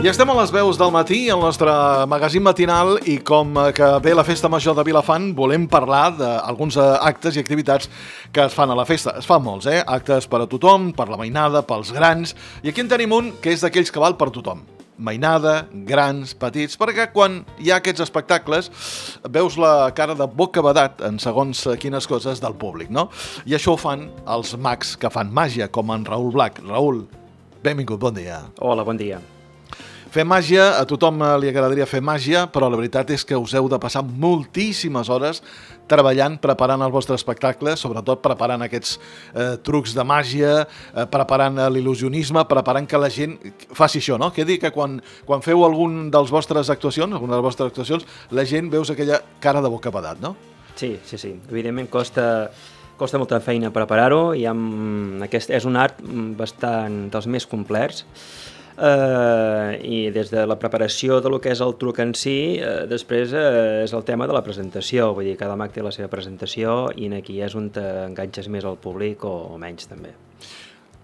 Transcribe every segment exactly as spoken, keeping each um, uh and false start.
I estem a les veus del matí, al nostre magazín matinal, i com que ve la Festa Major de Vilafant, volem parlar d'alguns actes i activitats que es fan a la festa. Es fan molts, eh? Actes per a tothom, per la mainada, pels grans, i aquí en tenim un que és d'aquells que val per tothom. Mainada, grans, petits, perquè quan hi ha aquests espectacles veus la cara de bocabadat en segons quines coses del públic, no? I això ho fan els mags que fan màgia, com en Raül Blac. Raül, benvingut, bon dia. Hola, bon dia. Fer màgia, a tothom li agradaria fer màgia, però la veritat és que us heu de passar moltíssimes hores treballant, preparant el vostre espectacle, sobretot preparant aquests eh, trucs de màgia, eh, preparant l'il·lusionisme, preparant que la gent faci això, no? Que dir que quan, quan feu algun dels vostres actuacions, alguna de les vostres actuacions, la gent veus aquella cara de bocabadat, no? Sí, sí, sí. Evidentment costa, costa molta feina preparar-ho, i amb aquest, és un art bastant dels més complets. Uh, i des de la preparació de lo que és el truc en si, uh, després uh, és el tema de la presentació, vull dir, cada mag té la seva presentació i aquí és on t'enganxes més al públic o, o menys també.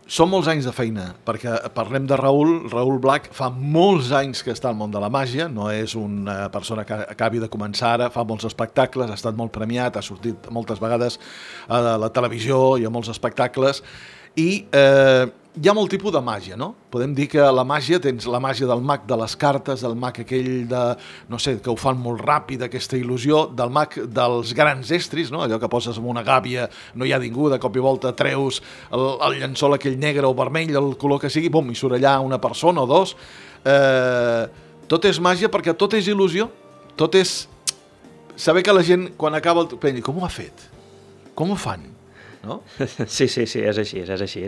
Són molts anys de feina, perquè parlem de Raül, Raül Blac fa molts anys que està al món de la màgia, no és una persona que acabi de començar ara, fa molts espectacles, ha estat molt premiat, ha sortit moltes vegades a la televisió i a molts espectacles, i eh, hi ha molt tipus de màgia, no? Podem dir que la màgia, tens la màgia del mag de les cartes, del mag aquell de, no sé, que ho fan molt ràpid, aquesta il·lusió, del mag dels grans estris, no? Allò que poses en una gàbia, no hi ha ningú, de cop i volta treus el, el llençol aquell negre o vermell, el color que sigui, bum, i surt allà una persona o dos. Eh, tot és màgia perquè tot és il·lusió, tot és saber que la gent, quan acaba el... pensi, com ho ha fet? Com ho fan? No? Sí, sí, sí, és així, és així.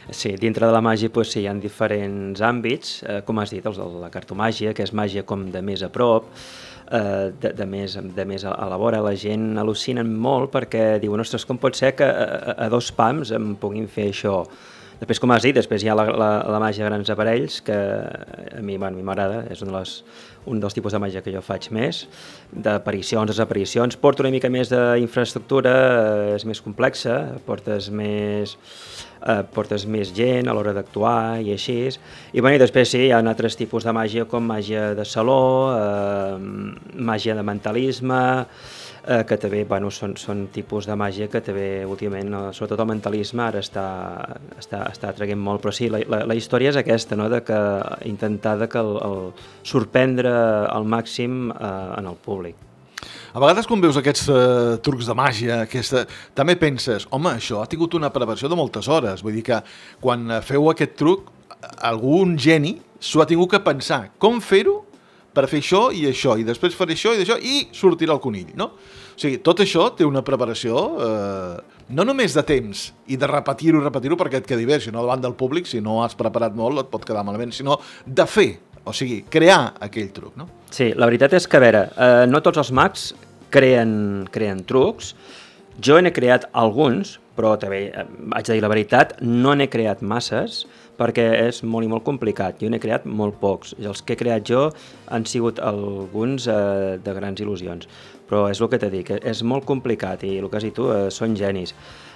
Sí, dintre de la màgia, doncs, sí, hi ha diferents àmbits, eh, com has dit, els de la cartomàgia, que és màgia com de més a prop, eh, de, de, més, de més a, a la vora. La gent al·lucina molt perquè diuen, ostres, com pot ser que a, a dos pams em puguin fer això? Després, com has dit, després hi ha la, la, la màgia de grans aparells, que a mi bueno, m'agrada, és un, de les, un dels tipus de màgia que jo faig més, d'aparicions, desaparicions. Porto una mica més d'infraestructura, és més complexa, portes més, eh, portes més gent a l'hora d'actuar i així. I, bueno, i després sí, hi ha altres tipus de màgia, com màgia de saló, eh, màgia de mentalisme, Eh, que també bueno, són, són tipus de màgia que també últimament, sobretot el mentalisme, ara està, està, està atraient molt, però sí, la, la, la història és aquesta, no? De que intentar de que el, el sorprendre al màxim eh, en el públic. A vegades quan veus aquests uh, trucs de màgia, aquesta, també penses, home, això ha tingut una preparació de moltes hores, vull dir que quan feu aquest truc, algun geni s'ho ha tingut que pensar, com fer-ho per fer això i això, i després faré això i d'això, i sortirà el conill, no? O sigui, tot això té una preparació, eh, no només de temps i de repetir-ho i repetir-ho perquè et quedi bé, sinó davant del públic, si no has preparat molt et pot quedar malament, sinó de fer, o sigui, crear aquell truc, no? Sí, la veritat és que, a veure, eh, no tots els mags creen, creen trucs. Jo n'he creat alguns, però també, eh, haig de dir la veritat, no n'he creat masses, perquè és molt i molt complicat. Jo n'he creat molt pocs. I els que he creat jo han sigut alguns eh, de grans il·lusions. Però és el que t'he dit, que és molt complicat i el que has dit tu, eh, són genis.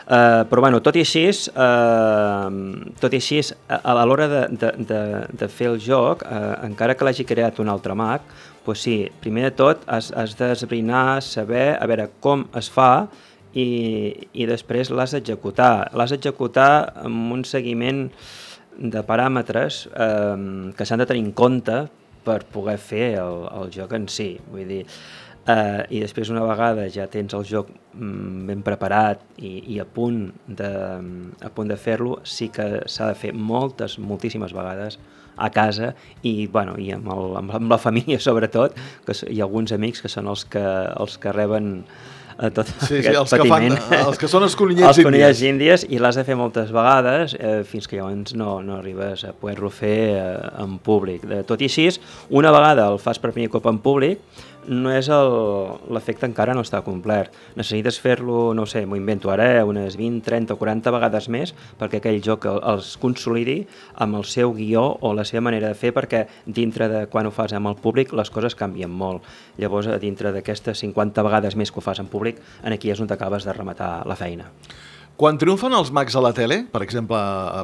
Eh, però bueno, tot i així, eh, tot i així a, a l'hora de, de, de, de fer el joc, eh, encara que l'hagi creat un altre mag, doncs sí, primer de tot has, has d'esbrinar, saber a veure com es fa i, i després l'has d'executar. L'has d'executar amb un seguiment de paràmetres eh, que s'han de tenir en compte per poder fer el, el joc en si. Vull dir, eh, i després una vegada ja tens el joc mm, ben preparat i, i a punt de, a punt de fer-lo, sí que s'ha de fer moltes, moltíssimes vegades a casa i, bueno, i amb, el, amb la família sobretot, que hi ha alguns amics que són els que, els que reben tot sí, aquest sí, els patiment. Que fan, els que són els conillets els conillets índies. índies, i l'has de fer moltes vegades eh, fins que llavors no, no arribes a poder-lo fer eh, en públic. De, tot i així, una vegada el fas per primer cop en públic, no és l'efecte encara no està complet. Necessites fer-lo, no sé, m'ho invento ara, eh, unes vint, trenta o quaranta vegades més perquè aquell joc els consolidi amb el seu guió o la seva manera de fer, perquè dintre de quan ho fas amb el públic les coses canvien molt. Llavors, dintre d'aquestes cinquanta vegades més que ho fas en públic, aquí és on t'acabes de rematar la feina. Quan triomfen els mags a la tele, per exemple,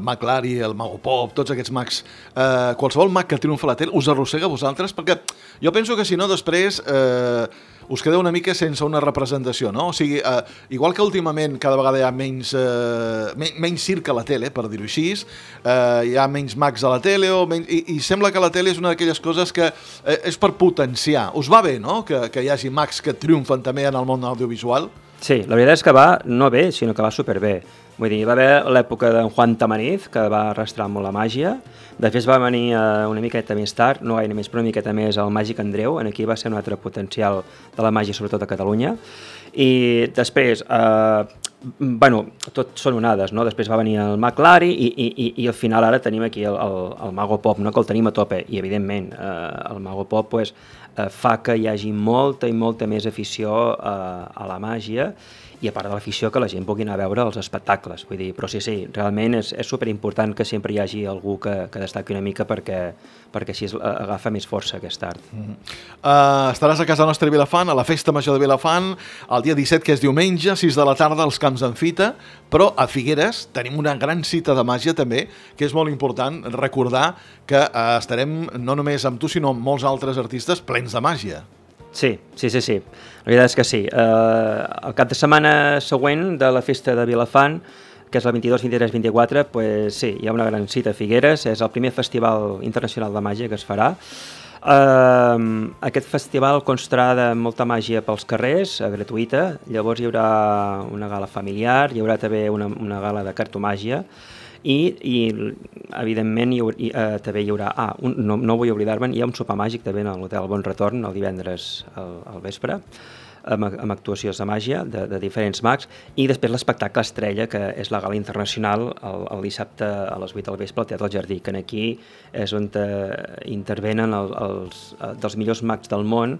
Mag Lari, el Mago Pop, tots aquests mags, eh, qualsevol mag que triomfa a la tele us arrossega a vosaltres? Perquè jo penso que si no, després eh, us quedeu una mica sense una representació, no? O sigui, eh, igual que últimament cada vegada hi ha menys, eh, menys, menys circ a la tele, per dir-ho així, eh, hi ha menys mags a la tele, o menys, i, i sembla que la tele és una d'aquelles coses que eh, és per potenciar. Us va bé, no?, que, que hi hagi mags que triomfen també en el món audiovisual? Sí, la veritat és que va no bé, sinó que va superbé. Vull dir, va haver l'època d'en Juan Tamariz, que va arrastrar molt la màgia. Després va venir eh, una miqueta més tard, no gaire més, però una miqueta més, el Màgic Andreu. Aquí va ser un altre potencial de la màgia, sobretot a Catalunya. I després, eh, bueno, tot són onades, no? Després va venir el Mag Lari i, i, i, i al final ara tenim aquí el, el, el Mago Pop, no?, que el tenim a tope. I evidentment, eh, el Mago Pop pues, eh, fa que hi hagi molta i molta més afició eh, a la màgia, i a part de l'afició que la gent pugui anar a veure els espectacles. Vull dir, però sí, sí, realment és, és superimportant que sempre hi hagi algú que, que destaqui una mica perquè, perquè així agafa més força aquest art. Mm -hmm. uh, estaràs a casa nostra a Vilafant, a la Festa Major de Vilafant, el dia disset, que és diumenge, sis de la tarda, als Camps d'en Fita, però a Figueres tenim una gran cita de màgia també, que és molt important recordar que uh, estarem no només amb tu, sinó amb molts altres artistes plens de màgia. Sí, sí, sí, sí. La veritat és que sí. Uh, el cap de setmana següent de la Festa de Vilafant, que és el vint-i-dos, vint-i-tres, vint-i-quatre, pues, sí, hi ha una gran cita a Figueres, és el primer festival internacional de màgia que es farà. Uh, aquest festival constarà de molta màgia pels carrers, uh, gratuïta, llavors hi haurà una gala familiar, hi haurà també una, una gala de cartomàgia, i, i evidentment hi, hi, uh, també hi haurà, ah, un, no, no vull oblidar-me'n, hi ha un sopar màgic també a l'Hotel Bon Retorn el divendres al, al vespre, amb, amb actuacions de màgia de, de diferents mags, i després l'espectacle estrella, que és la gala internacional el, el dissabte a les vuit del vespre al Teatre del Jardí, que aquí és on intervenen el, els, els dels millors mags del món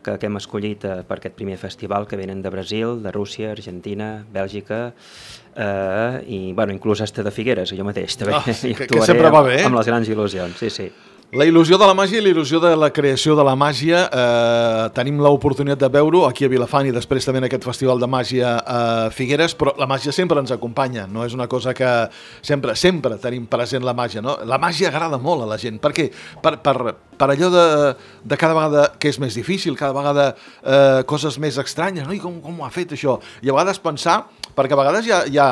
que, que hem escollit eh, per aquest primer festival, que venen de Brasil, de Rússia, Argentina, Bèlgica, eh, i bueno, inclús hasta de Figueres, jo mateix també oh, sí, que, que sempre va bé, eh? Amb les grans il·lusions, sí, sí. La il·lusió de la màgia i la il·lusió de la creació de la màgia, eh, tenim l'oportunitat de veure-ho aquí a Vilafant i després també en aquest festival de màgia a Figueres, però la màgia sempre ens acompanya, no és una cosa que sempre, sempre tenim present la màgia, no? La màgia agrada molt a la gent, per què? Per, per, per allò de, de cada vegada que és més difícil, cada vegada eh, coses més estranyes, no? I com, com ho ha fet això? I a vegades pensar, perquè a vegades hi ha, hi ha...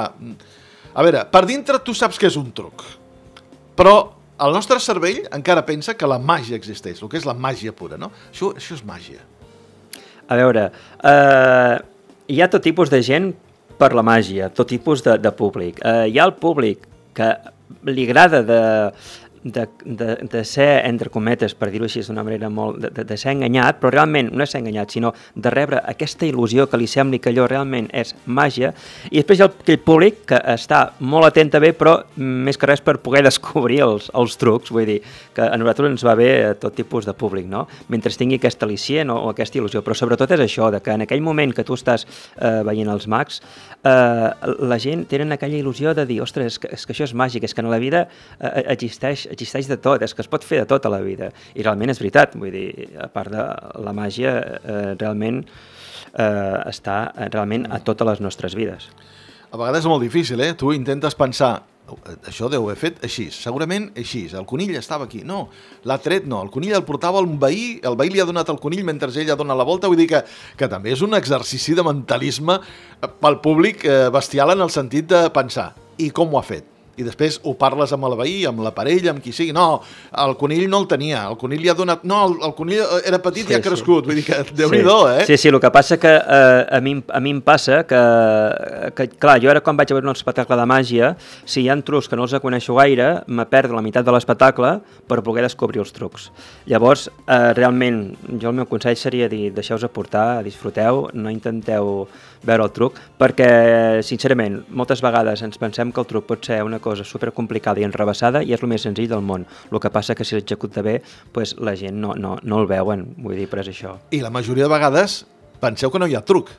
A veure, per dintre tu saps que és un truc, però el nostre cervell encara pensa que la màgia existeix, el que és la màgia pura, no? Això, això és màgia. A veure, eh, hi ha tot tipus de gent per la màgia, tot tipus de, de públic. Eh, hi ha el públic que li agrada de, de, de, de ser, entre cometes, per dir-ho així d'una manera molt, de, de ser enganyat, però realment no és ser enganyat, sinó de rebre aquesta il·lusió que li sembli que allò realment és màgia, i després hi ha aquell públic que està molt atent a bé, però més que res per poder descobrir els, els trucs, vull dir, que a nosaltres ens va bé tot tipus de públic, no? Mentre tingui aquest al·licient o, o aquesta il·lusió, però sobretot és això, de que en aquell moment que tu estàs eh, veient els mags, eh, la gent tenen aquella il·lusió de dir, ostres, és que, és que això és màgic, és que en la vida eh, existeix existeix de tot, és que es pot fer de tot a la vida, i realment és veritat, vull dir, a part de la màgia, eh, realment eh, està realment a totes les nostres vides. A vegades és molt difícil, eh? Tu intentes pensar, això deu haver fet així, segurament així, el conill estava aquí, no, l'ha tret, no, el conill el portava un veí, el veí li ha donat el conill mentre ell ha donat la volta, vull dir que, que també és un exercici de mentalisme pel públic eh, bestial en el sentit de pensar, i com ho ha fet? I després ho parles amb el veí, amb la parella, amb qui sigui. No, el conill no el tenia, el conill li ha donat... No, el, el conill era petit sí, i ha crescut, sí. Vull dir que Déu-n'hi-do, eh? Sí, sí, el que passa que eh, a, mi, a mi em passa que, que, clar, jo ara quan vaig a veure un espectacle de màgia, si hi ha trucs que no els coneixo gaire, me perdo la meitat de l'espectacle per poder descobrir els trucs. Llavors, eh, realment, jo el meu consell seria dir, deixeu-vos aportar, disfruteu, no intenteu veure el truc, perquè, sincerament, moltes vegades ens pensem que el truc pot ser una cosa supercomplicada i enrevessada i és el més senzill del món. El que passa que si l'executa bé, pues, la gent no, no, no el veuen, vull dir, però és això. I la majoria de vegades penseu que no hi ha truc,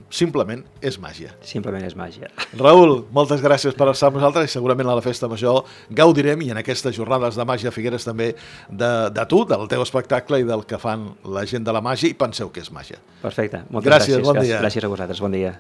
simplement és màgia. Simplement és màgia. Raül, moltes gràcies per estar amb nosaltres i segurament a la Festa Major gaudirem i en aquestes jornades de màgia a Figueres també de, de tu, del teu espectacle i del que fan la gent de la màgia i penseu que és màgia. Perfecte, moltes gràcies. gràcies. Bon dia. Gràcies a vosaltres, bon dia.